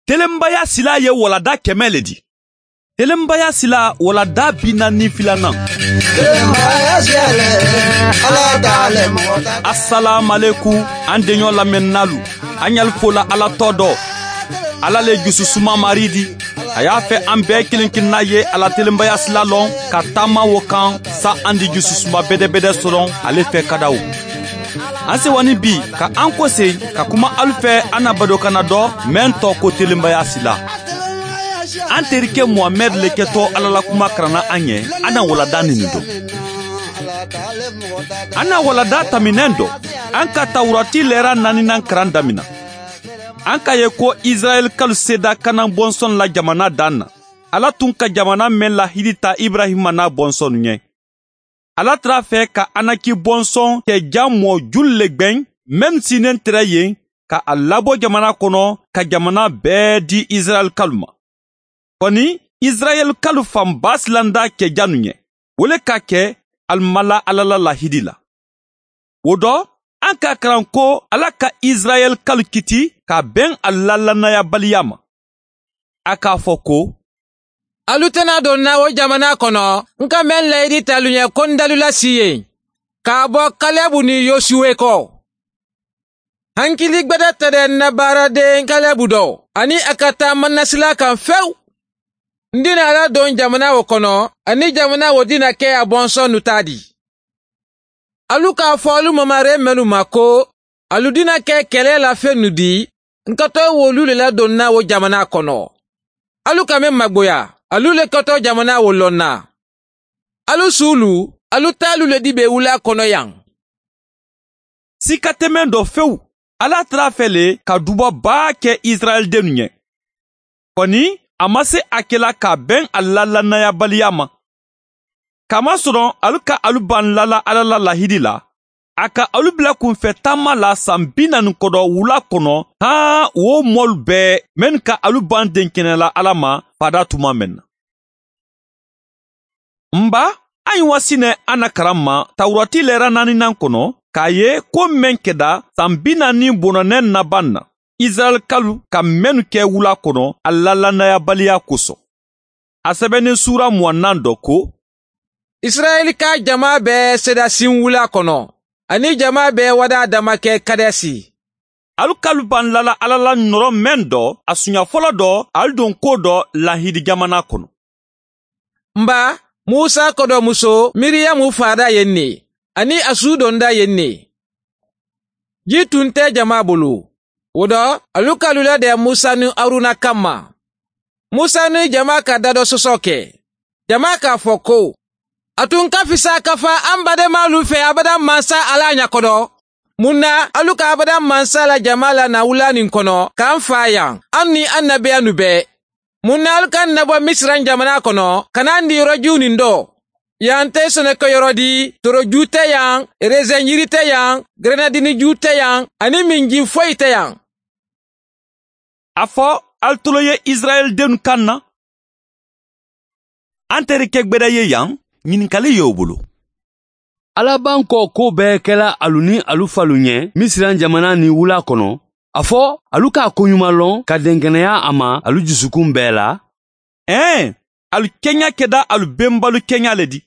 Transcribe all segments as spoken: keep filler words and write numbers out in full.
Telenbaya sila ye walada kɛmɛ le di. Telenbaya sila walada bi naani filanan. Assalamu an denɲɔ lamɛnnalu. An y'al fola Ala tɔ dɔ. Ala le jususuma mari di. A y'a fɛ an bɛɛ kelen kelenna ye Ala telenbaya sila lɔn ka taama wo kan sa an di jususuma bɛdɛbɛdɛ sɔrɔ ale fɛ kadaw. An sewani bi ka an kɔse ka kuma alu fɛ an na badokana dɔ mɛn tɔ ko telenbaya sila. An terikɛ Muhamɛd le kɛtɔ Ala la kuma karanna an ɲɛ, an na walada nin dɔn. An na walada taminɛn dɔ, an ka Tawurati lɛra naaninan karan damina. An ka ye ko Israɛl kalu seda Kanan bɔnsɔn la jamana dan na. Ala tun ka jamana mɛn lahidi ta Ibrahima n'a bɔnsɔn ɲɛ. Ala tara fɛ ka Anaki bɔnsɔn kɛ ja mɔ julu le gwɛn mɛn sinen tɛrɛ yen ka a labɔ jamana kɔnɔ ka jamana bɛɛ di Israɛl kalu ma. Kɔni Israɛl kalu fanba silanda kɛ janu ɲɛ. O le ka kɛ alimala Ala la lahidi la. O dɔ, an ka karan ko Ala ka Israɛl kalu kiti ka bɛn a la lannayabaliya ma. A k'a fɔ ko alu tɛna don na o jamana kɔnɔ n ka mɛn layidi talu ɲɛ ko n dalu lasi yen k'a bɔ Kalɛbu ni Yosuwe kɔ. Hankili gbɛdɛ tɛ dɛ n na baaraden Kalɛbu dɔ ani a ka taama nasila kan fewu. N dina Ala don jamana o kɔnɔ ani jamana o dina kɛ a bɔnsɔn nu ta di. Alu k'a fɔ alu mamare mɛnu ma ko alu dina kɛ kɛlɛ la fɛn nu di n ka tɔ wolu le ladon na o jamana kɔnɔ. Alu ka mɛn magboya alu le kɛtɔ jamana o lɔn na. Alu sulu alu t'alu le di be wula kɔnɔ yan. Sika tɛmɛn dɔ fewu, Ala tara fɛ le ka duba baa kɛ Israɛl dennu ɲɛ. Kɔni a ma se a kɛla ka bɛn a la lannayabaliya ma. Kamasɔrɔ alu ka alu ban lala Ala la lahidi la, a ka alu bila kunfɛ taama la san bi naani kɔdɔ wula kɔnɔ han o mɔlu bɛɛ mɛn ka alu ban denkɛnɛ la Ala ma fada tuma mɛn na. Nba an ye wasinɛ an na karan ma Tawurati lɛra naaninan kɔnɔ k'a ye ko mɛn kɛda san bi naani bɔnɔnɛ naban na Israɛl kalu ka mɛnnu kɛ wula kɔnɔ a la lannayabaliya kosɔn. A sɛbɛnni sura mugannan dɔ ko Israɛl ka jama bɛɛ sera sin wula kɔnɔ ani jama bɛɛ wada dama kɛ Kadɛsi. Alu kalu ban lala Ala la nɔrɔ mɛn dɔ a sunya fɔlɔ dɔ alu don ko dɔ lahidi jamana kɔnɔ. Nba Musa kɔdɔmuso Miriyamu fada yen ne ani a su donda yen ne. Ji tun tɛ jama bolo. O dɔ alu kalu ladɛ Musa ni Aruna kama. Musa ni jama ka da dɔ sɔsɔ kɛ. Jama k'a fɔ ko a tun ka fisa ka fa an badenmalu fɛ abada mansa Ala ɲakɔdɔ. Mun na alu ka abada mansa la jama la na wula nin kɔnɔ k'an fa yan an ni an nabiya nu bɛɛ. Mun na alu ka nabɔ Misiran jamana kɔnɔ ka n'an di yɔrɔjiw nin dɔ. Yan tɛ sɛnɛkɛyɔrɔ di, toroju tɛ yan, rezɛn yiri tɛ yan, grenadini ju tɛ yan, ani minji foyi tɛ yan. A fɔ alu tolo ye Israɛl dennu kan na. An terikɛ gbɛdɛ ye yan, ɲininkali y'o bolo. Ala b'an kɔ ko bɛɛ kɛla alu ni alu falu ɲɛ Misiran jamana ni wula kɔnɔ. A fɔ alu k'a koɲuman lɔn ka dɛnkɛnɛya a ma alu jusukun bɛɛ la. Ɛn, alu kɛɲa kɛda alu bɛnbalu kɛɲa le di,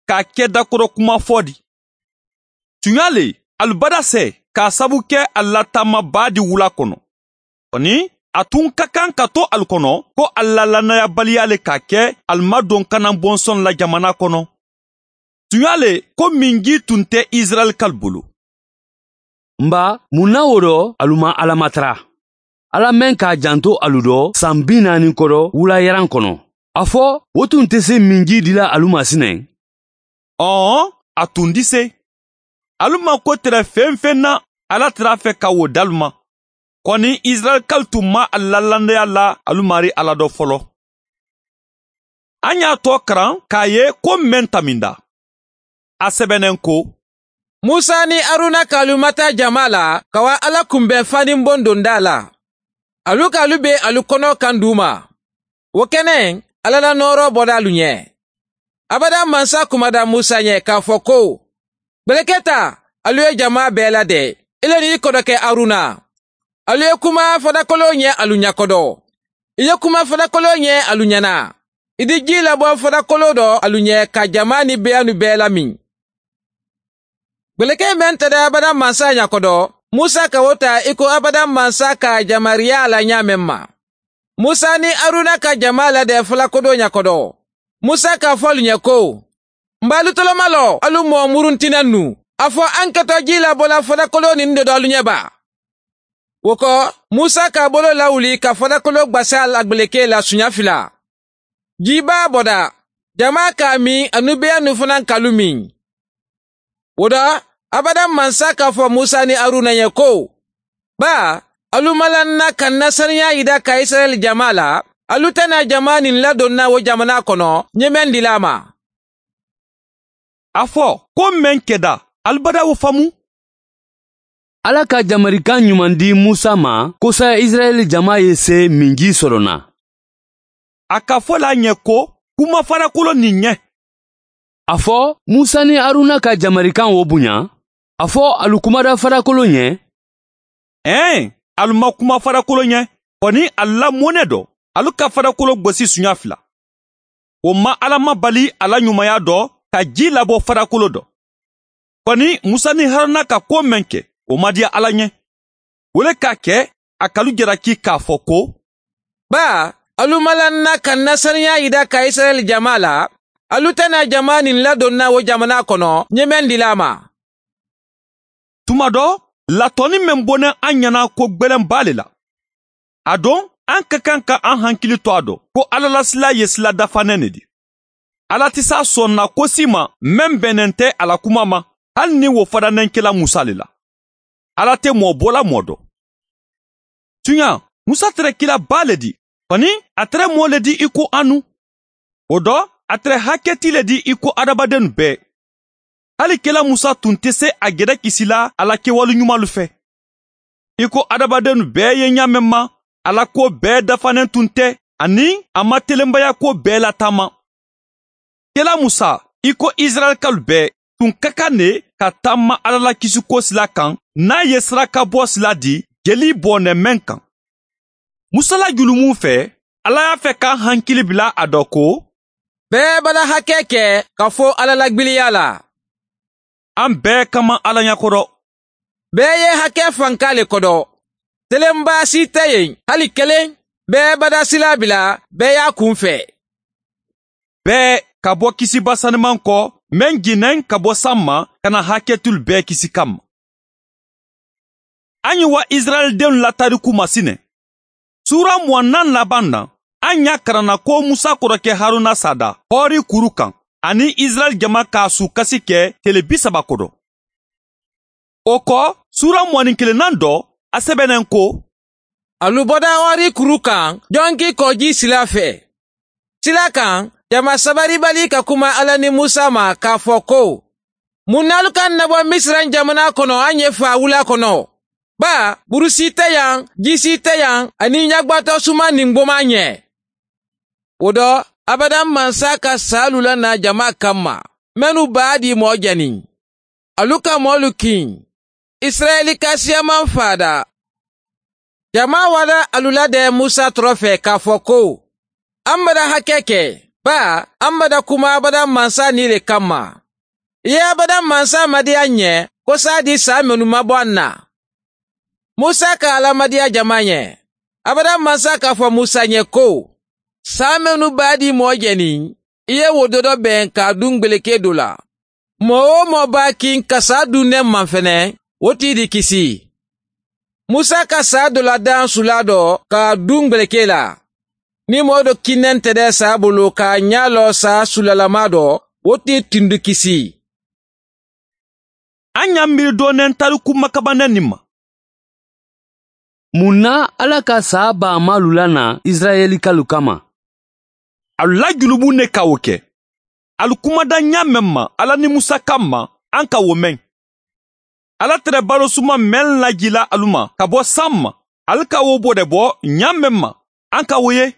k'a kɛ dakɔrɔ kuma fɔ di. Tuɲa le, alu bada sɛ k'a sabu kɛ alu la taamaba di wula kɔnɔ. Kɔni, a tun ka kan ka to alu kɔnɔ ko alu la lannayabaliya le k'a kɛ alu ma don Kanan bɔnsɔn la jamana kɔnɔ. Tuɲa le ko minji tun tɛ Israɛl kalu bolo. Nba mun na o dɔ alu ma Ala matara. Ala mɛn k'a janto alu dɔ san bi naani kɔrɔ wula yaran kɔnɔ. A fɔ o tun tɛ se minji dila alu ma sinɛ. Ɔn, a tun di se. Alu ma ko tɛrɛ fɛn fɛn na Ala tɛr'a fɛ ka wo d'alu ma. Kɔni Israɛl kalu tun ma a la lannaya la alu mari Ala dɔ fɔlɔ. An y'a tɔ karan k'a ye ko mɛn taminda. A sɛbɛnnen ko Musa ni Aruna k'alu mata jama la ka wa Ala kunbɛn fani bon donda la. Alu k'alu be alu kɔnɔ kan d'u ma. O kɛnɛ Ala la nɔɔrɔ bɔda alu ɲɛ. Abada mansa kumada Musa ɲɛ k'a fɔ ko gbɛlɛkɛ ta alu ye jama bɛɛ ladɛ. Ile ni i kɔdɔkɛ Aruna. Alu ye kuma fadakolo ɲɛ alu ɲakɔdɔ. I ye kuma falakolo ɲɛ alu ɲɛna. I di ji labɔ falakolo dɔ alu ɲɛ ka jama ni beyanu bɛɛ lamin. Gbeleke mɛn tɛdɛ abada mansa ɲakɔdɔ, Musa ka wo ta i ko abada mansa ka jamariya la ɲa mɛn ma. Musa ni Aruna ka jama ladɛ falakodo ɲakɔdɔ. Musa k'a fɔ alu ɲɛ ko, n b'alu tɔlɔma lɔ alu mɔ muruntinɛ nu. A fɔ an kɛtɔ ji labɔla falakolo nin de dɔ alu ɲɛ ba. O kɔ, Musa k'a bolo lawuli ka falakolo gbasa la gbeleke la suɲa fila. Jiba bɔda, jama k'a min anu beyanu fana kalu min. O dɔ, abada mansa k'a fɔ Musa ni Aruna ye ko, ba, alu malanna ka na saniya yida ka Israɛl jama la, alu tɛna jama nin ladonna o jamana kɔnɔ, ɲɛmɛn dila ma. A fɔ ko mɛn kɛda, alibada wo faamu. Ala ka jamarikan ɲuman di Musa ma kosa Israɛl jama ye se minji sɔrɔ na. A ka fɔ la ɲɛ ko kuma farakolo nin ɲɛ. A fɔ Musa ni Aruna ka jamarikan wo bonya. A fɔ alu kumada farakolo ɲɛ. Ɛn, alu ma kuma farakolo ɲɛ, kɔni alu la mɔnɛ dɔ, alu ka farakolo gosi suɲa fila. O ma Ala ma bali ala ɲumanya dɔ ka ji labɔ farakolo dɔ. Kɔni Musa ni Haruna ka ko mɛn kɛ, o ma diya Ala ɲɛ. O le k'a kɛ a kalu jalaki k'a fɔ ko, ba, alu malanna ka na saniya yida ka Israɛl jama la, alu tɛna jama nin ladonna o jamana kɔnɔ, ɲɛmɛn dila ma. Tuma dɔ, latɔni mɛn bɔnɛ an ɲɛna ko gwɛlɛnba le la. A don, an ka kan ka an hankili to a dɔ ko Ala la sila ye sila dafanɛ ne di. Ala tɛ s'a sɔnna ko si ma mɛn bɛnnen tɛ a la kuma ma, hali ni wo fadanɛn kɛla Musa le la. Ala tɛ mɔ bɔla mɔ dɔ. Tuɲa, Musa tɛrɛ kila ba le di, kɔni a tɛrɛ mɔ le di i ko anu. O dɔ, a tɛrɛ hakɛti le di i ko adamaden bɛɛ. Hali kɛla Musa tun tɛ se a gɛrɛ kisi la a la kɛwale ɲumanlu fɛ. I ko adamaden bɛɛ ye ɲa mɛn ma, a la ko bɛɛ dafanen tun tɛ, ani a ma telenbaya ko bɛɛ lataama. Kɛla Musa, i ko Israɛlkalu bɛɛ, tun ka kan ne ka taama Ala la kisiko sila kan, n'a ye saraka bɔ sila di jeli bɔnɛ mɛn kan. Musa la julumun fɛ, Ala y'a fɛ k'an hankili bila a dɔ ko, bɛɛ b'ala hakɛ kɛ ka fɔ Ala la gbiliya la. An bɛɛ kama Ala ɲɛkɔrɔ. Bɛɛ ye hakɛ fanka le kɔdɔ. Telenba si tɛ yen, hali kelen. Bɛɛ bada sila bila, bɛɛ y'a kun fɛ. Bɛɛ ka bɔ kisiba sanuman kɔ, mɛn ginnɛn ka bɔ san ma, ka na hakɛtul bɛɛ kisi kama. An ye wa Israɛldenw la tariku masinɛ. Sura mugan laban na, an y'a karanna ko Musa kɔrɔkɛ Haruna sada Hɔri kuru kan, ani Israɛl jama k'a su kasi kɛ tele bi saba kɔdɔ. O kɔ, sura mugan kelennan dɔ, a sɛbɛnnen ko, alu bɔda Hɔri kuru kan, jɔnki kɔji sila fɛ. Sila kan, jama sabaribali ka kuma Ala ni Musa ma k'a fɔ ko, mun n'alu ka nabɔ Misira jamana kɔnɔ an ye fa wula kɔnɔ. Ba, burusi tɛ yan, jisi tɛ yan, ani ɲagbatɔ suma nin gboma ɲɛ. O dɔ, abada mansa ka saalu la na jama kama, mɛnu b'a di mɔ jɛni. Alu ka mɔlu kin, Israɛli ka siyaman fada. Jama wada alu ladɛ Musa tɔrɔ fɛ k'a fɔ ko, an bada hakɛ kɛ, ba, an bada kuma abada mansa ni le kama. I ye abada mansa madiya ɲɛ, ko s'a di saa minnu ma bɔ an na. Musa ka alamadiya jama ɲɛ. Abada mansa k'a fɔ Musa ɲɛ ko, saa minnu b'a di mɔ jɛni, i ye wo dɔ bɛn k'a dun gbeleke dɔ la. Mɔɔ o mɔɔ b'a kin ka saa dun ne man fɛnɛ, o t'i di kisi. Musa ka saa dɔ la dan sula dɔ k'a dun gbeleke la. Ni mɔɔ dɔ kinnen tɛ dɛ saa bolo k'a ɲa lɔ saa sulalama dɔ, o t'i tundu kisi. An y'an miiri dɔɔnin tariku makabanɛ nin ma. Mun na Ala ka saa ba malu la na Israɛlikalu kama? Alu la julubu ne ka o kɛ. Alu kumada ɲa mɛn ma Ala ni Musa kama, an ka o mɛn. Ala tɛrɛ balo suma mɛn lajila alu ma ka bɔ san ma, alu ka wo bɔ de bɔ ɲa mɛn ma, an ka o ye.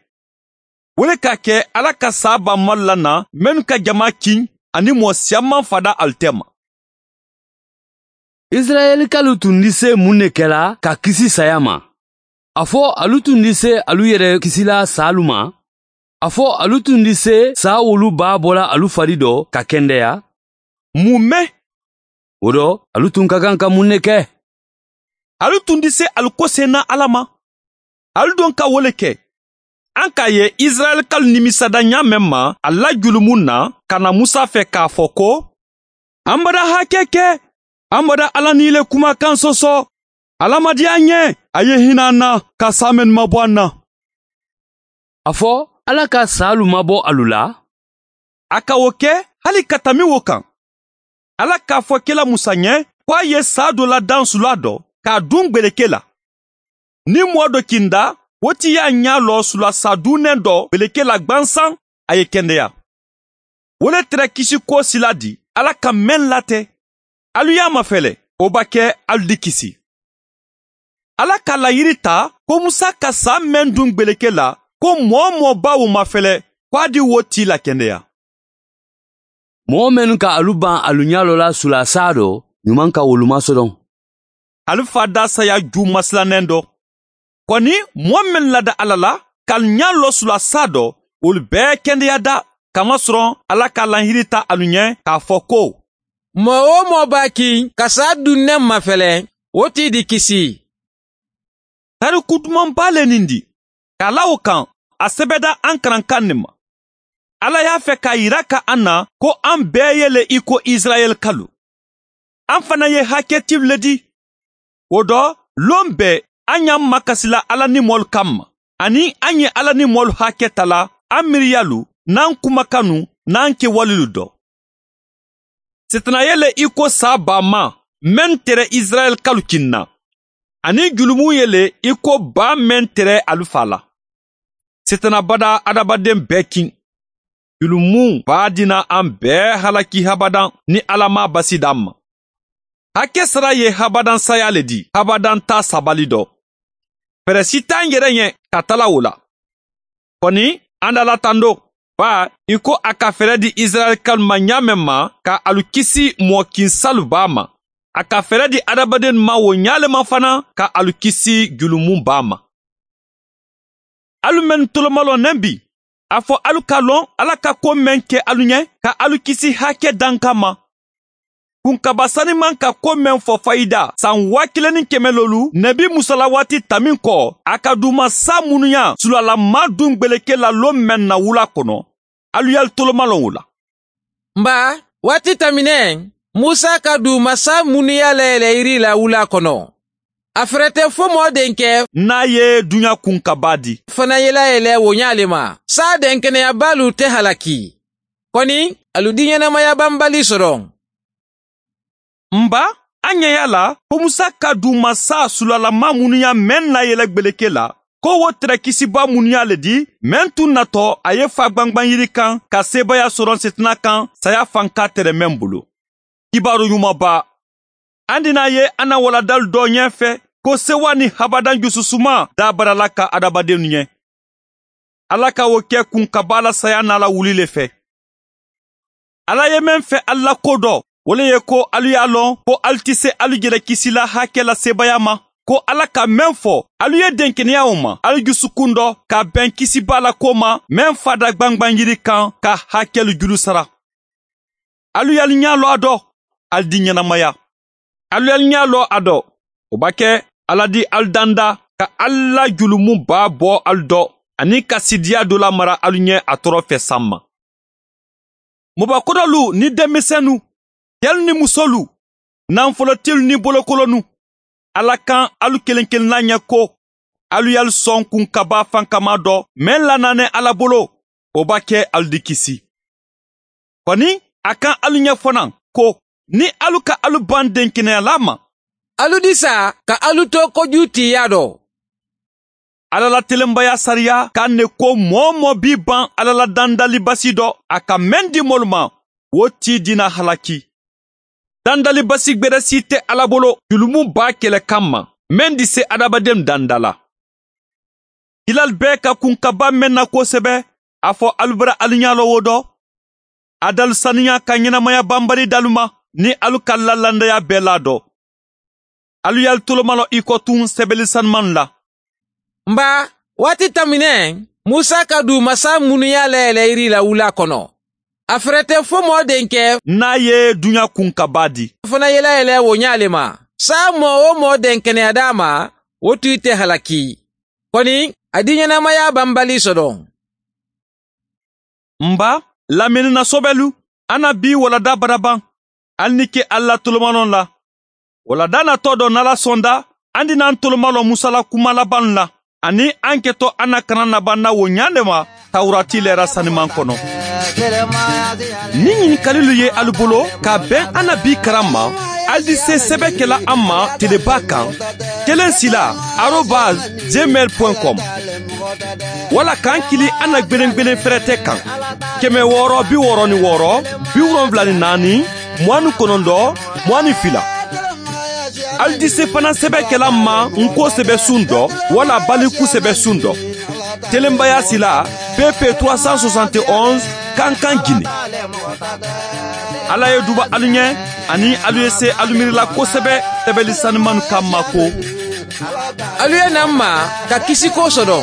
O le k'a kɛ Ala ka saa ba malu la na mɛnnu ka jama kin ani mɔɔ siyaman fada alu tɛ ma. Israɛlikalu tun di se mun de kɛla ka kisi saya ma? A fɔ alu tun di se alu yɛrɛ kisila saalu ma? A fɔ alu tun di se saa wolu b'a bɔla alu fari dɔ ka kɛndɛya? Mun mɛn? O dɔ, alu tun ka kan ka mun ne kɛ? Alu tun di se alu ko sen na Ala ma. Alu don ka wo le kɛ. An k'a ye Israɛlikalu nimisada ɲa mɛn ma a la julumun na ka na Musa fɛ k'a fɔ ko an bada hakɛ kɛ, an bada Ala ni le kumakan sɔsɔ. Ala ma diya an ɲɛ, a ye hinɛ an na ka sa mɛn mabɔ an na. A fɔ Ala ka saalu mabɔ alu la? A ka o kɛ hali ka tami o kan. Ala k'a fɔ kɛla Musa ɲɛ ko a ye saa dɔ ladan sula dɔ k'a dun gbeleke la. Ni mɔɔ dɔ kinda, o ti y'a ɲa lɔ sula sa dunnen dɔ gbeleke la gwansan, a ye kɛndɛya. O le tɛrɛ kisi ko sila di Ala ka mɛn latɛ. Alu y'a mafɛlɛ, o b'a kɛ alu di kisi. Ala ka layiri ta ko Musa ka saa mɛn dun gbeleke la, ko mɔɔ mɔɔ ba o mafɛlɛ, ko a di wo ti la kɛndɛya. Mɔgɔ minnu ka alu ban alu ɲa lɔ la sula saa dɔ, ɲuman ka wolu masɔrɔ. Alu fa da saya ju masilannen dɔ. Kɔni mɔɔ min lada Ala la, ka ɲa lɔ sula saa dɔ, olu bɛɛ kɛndɛya da. Kamasɔrɔ Ala ka lahiri ta alu ɲɛ k'a fɔ ko mɔɔ o mɔɔ b'a kin ka saa dunnen mafɛlɛ, o t'i di kisi. Tariku dumanba le nin di. K'a la o kan, a sɛbɛda an karankan nin ma. Ala y'a fɛ k'a yira ka an na ko an bɛɛ ye le i ko Israɛlikalu. An fana ye hakɛtiw le di. O dɔ, lon bɛɛ an y'an makasila Ala ni mɔlu kanma, ani an ye Ala ni mɔlu hakɛ ta la an miiriyalu n'an kumakanu n'an kɛwalelu dɔ. Sitanaya ye le i ko saa ba ma mɛn tɛrɛ Israɛlikalu kin na, ani julumun ye le i ko ba mɛn tɛrɛ alu fa la. Sitana bada adamaden bɛɛ kin. Julumun b'a dina an bɛɛ halaki habadan ni Ala ma basi d'an ma. Hakɛ sara ye habadan saya le di, habadan ta sabali dɔ. Fɛɛrɛ si t'an yɛrɛ ɲɛ ka tala o la. Kɔni an dala tando, ba i ko a ka fɛɛrɛ di Israɛlikalu ma ɲa mɛn ma ka alu kisi mɔɔ ba ma. A ka fɛɛrɛ di adamaden ma o ɲa ma fana ka alu kisi julumun ba ma. Alu mɛn tolomalɔ bi, a fɔ alu ka lɔn Ala ka ko mɛn kɛ alu ɲɛ ka alu kisi hakɛ dankan ma. Kunkaba saniman ka ko mɛn fɔ fayida san waa kelen ni kɛmɛ lolu nɛbi musala waati tamin kɔ, a ka duma sa munuya sulalama dun gbeleke la lon mɛn na wula kɔnɔ, alu y'alu tolomalɔn o la. Nba waati taminɛ, Musa ka duma sa munuya layɛlɛ yiri la wula kɔnɔ. A fɛrɛ tɛ fo mɔɔ denkɛ n'a ye dunya kunkaba di fana ye layɛlɛ o ɲa le ma. Saa denkɛnɛyabalu tɛ halaki. Kɔni alu di ɲɛnamaya banbali sɔrɔ. Nba an ɲɛ y'a la ko Musa ka duma sa sulalama munuya mɛn na yɛlɛ gbeleke la, ko wo tɛrɛ kisiba munuya le di mɛn tun natɔ a ye fa gwangwan yiri kan ka sebaya sɔrɔ sitina kan saya fanka tɛrɛ mɛn bolo. Kibaru ɲumanba, an dina ye an na waladalu dɔ ɲɛfɛ ko sewa ni habadan jususuma dabarala ka adamadenw ɲɛ. Ala ka o kɛ kunkaba la saya n'a la wuli le fɛ. Ala ye mɛn fɛ Ala ko dɔ, o le ye ko alu y'a lɔn ko alu tɛ se alu yɛrɛ kisi la hakɛ la sebaya ma, ko Ala ka mɛn fɔ alu ye denkɛnɛya o ma alu dusukun dɔ ka bɛn kisiba la ko ma mɛn fada gwangwan yiri kan ka hakɛlu juru sara. Alu y'alu ɲa lɔ a dɔ, alu di ɲɛnamaya. Alu y'alu ɲa lɔ a dɔ, o b'a kɛ Ala di alu danda ka Ala julumun b'a bɔ alu dɔ ani ka sidiya dɔ la mara alu ɲɛ a tɔɔrɔ fɛ san ma. Mɔbakɔrɔlu ni denmisɛnnu, cɛlu ni musolu, nanfolotilu ni bolokolonu, Ala kan alu kelen kelenna ɲɛ ko alu y'alu sɔn kunkaba fankama dɔ mɛn lananɛ Ala bolo, o b'a kɛ alu di kisi. Kɔni a kan alu ɲɛ fana ko ni alu ka alu ban denkɛnɛyala ma, alu di sa ka alu to koju tiya dɔ. Ala la telenbaya sariya k'an ne ko mɔɔ mɔɔ b'i ban Ala la dandali basi dɔ, a ka mɛn di mɔlu ma, o t'i dina halaki. Dandali basi gbɛrɛ si tɛ Ala bolo julumun b'a kɛlɛ kan ma mɛn di se adamaden danda la. Hilal bɛɛ ka kunkaba mɛn na kosɛbɛ, a fɔ alu bara alu ɲa lɔ o dɔ. A dalu saniya ka ɲɛnamaya banbali dalu ma ni alu ka lalandaya bɛɛ la dɔ. Alu y'alu tolomalɔ i kɔ tun sɛbɛli sanuman la. Nba waati taminɛ Musa ka du masa minnu y'a layɛlɛ yiri la wula kɔnɔ. A fɛrɛ tɛ fo mɔɔ denkɛ n'a ye dunya kun ka ba di. Fana yɛlɛ yɛlɛ o ɲale ma. Sa mɔɔ o mɔɔ den kɛnɛya d'a ma, o tun tɛ halaki. Kɔni a di ɲɛnamaya banbali sɔrɔ. Nba lamɛnni sɔbɛlu an na bi walada baraban hali ni ke ala tolomanɔ la. Walada natɔ dɔ n'ala sɔnda an dina an tolomalɔ musala kuma laban la ani an kɛtɔ an na kana naban na o ɲa de ma tawurati lɛra saniman kɔnɔ. Ni ɲininkalilu ye alu bolo ka bɛn an na bi karan ma, ali di se sɛbɛ kɛla an ma teleba kan kelen sila arobase gmail point com wala k'an kili an na gwelen fɛrɛtɛ kan kɛmɛ wɔɔrɔ bi wɔɔrɔ ni wɔɔrɔ bi wolonfila ni naani mugan ni kɔnɔntɔn mugan ni fila. Ali di se fana sɛbɛ kɛla ma nko sɛbɛ sun dɔ wala baliku sɛbɛ sun dɔ. Telenbaya sila P P trois cent soixante et onze Kankan Guinée. Ala ye duba alu ɲɛ ani alu ye se alu miirila kosɛbɛ sɛbɛli sanumanu ka mako. Alu ye na ma ka kisi ko sɔrɔ.